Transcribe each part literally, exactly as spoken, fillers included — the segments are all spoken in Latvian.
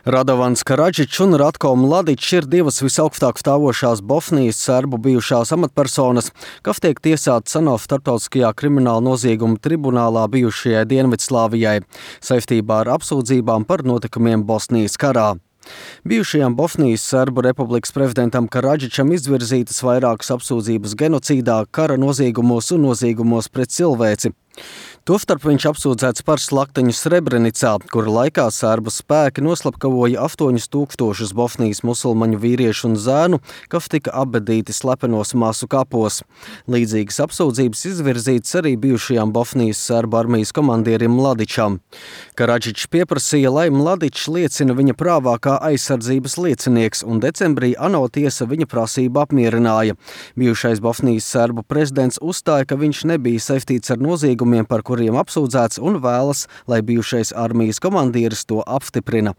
Radovans Karadžičs un Ratko Mladičs ir divas visaugstāk stāvošās Bosnijas serbu bijušās amatpersonas, kas tiek tiesātas ANO starptautiskajā krimināla nozieguma tribunālā bijušajai Dienvidslāvijai saistībā ar apsūdzībām par notikumiem Bosnijas karā. Bijušajam Bosnijas Serbu republikas prezidentam Karadžičam izvirzītas vairākas apsūdzības genocīdā, kara noziegumos un noziegumos pret cilvēci. Tostarp viņš apsūdzēts par slaktiņu Srebrenicā, kura laikā serbu spēki noslapkavoja astoņus tūkstošus Bosnijas musulmaņu vīriešu un zēnu, kas tika apbedīti slepenos masu kapos. Līdzīgas apsūdzības izvirzītas arī bijušajam Bosnijas serbu armijas komandierim Mladičam. Karadžičs pieprasīja, lai Mladičs liecina viņa prāvā kā aizsardzības liecinieks, un decembrī ANO tiesa viņa prasību apmierināja. Bijušais Bosnijas serbu prezidents uzstāja, ka viņš nebija saistīts ar noziegumiem, par kuriem apsūdzēts, un vēlas, lai bijušais armijas komandieris to apstiprina.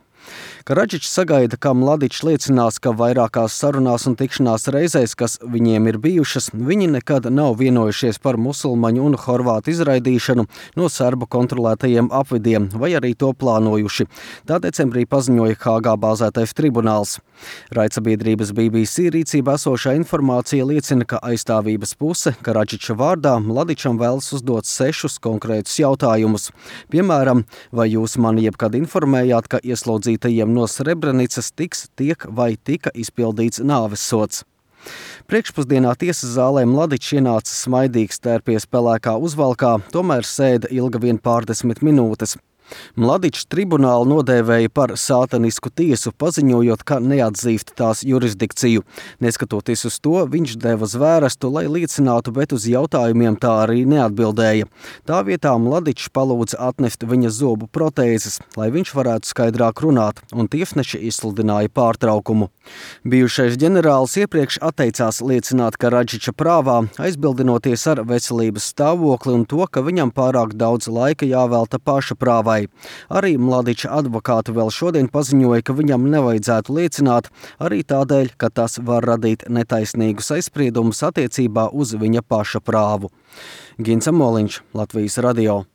Karadžičs sagaida, ka Mladičs liecinās, ka vairākās sarunās un tikšanās reizēs, kas viņiem ir bijušas, viņi nekad nav vienojušies par musulmaņu un horvātu izraidīšanu no serbu kontrolētajiem apvidiem, vai arī to plānojuši. Tā decembrī paziņoja Hāgā bāzētais tribunāls. Raidsabiedrības B B C rīcībā esošā informācija liecina, ka aizstāvības puse Karadžiča vārdā Mladičam vēlas uzdot sešus konkrētus jautājumus. Piemēram, vai jūs mani jebkad informējāt, ka ieslodzītajiem no Srebrenicas tiks, tiek vai tika izpildīts nāvessods? Priekšpusdienā tiesas zālē Mladičs ienāca smaidīgs, tērpies pelēkā uzvalkā, tomēr sēda ilga vien pārdesmit minūtes. Mladičs tribunālu nodēvēja par sātanisku tiesu, paziņojot, ka neatzīst tās jurisdikciju. Neskatoties uz to, viņš deva zvērestu, lai liecinātu, bet uz jautājumiem tā arī neatbildēja. Tā vietā Mladičs palūdza atnest viņa zobu protēzes, lai viņš varētu skaidrāk runāt, un tiesneši izsludināja pārtraukumu. Bijušais ģenerālis iepriekš atteicās liecināt Karadžiča prāvā, aizbildinoties ar veselības stāvokli un to, ka viņam pārāk daudz laika jāvelta paša prāvai. Arī Mladiča advokāti vēl šodien paziņoja, ka viņam nevajadzētu liecināt, arī tādēļ, ka tas var radīt netaisnīgus aizspriedumus attiecībā uz viņa paša prāvu. Gins Amoliņš, Latvijas radio.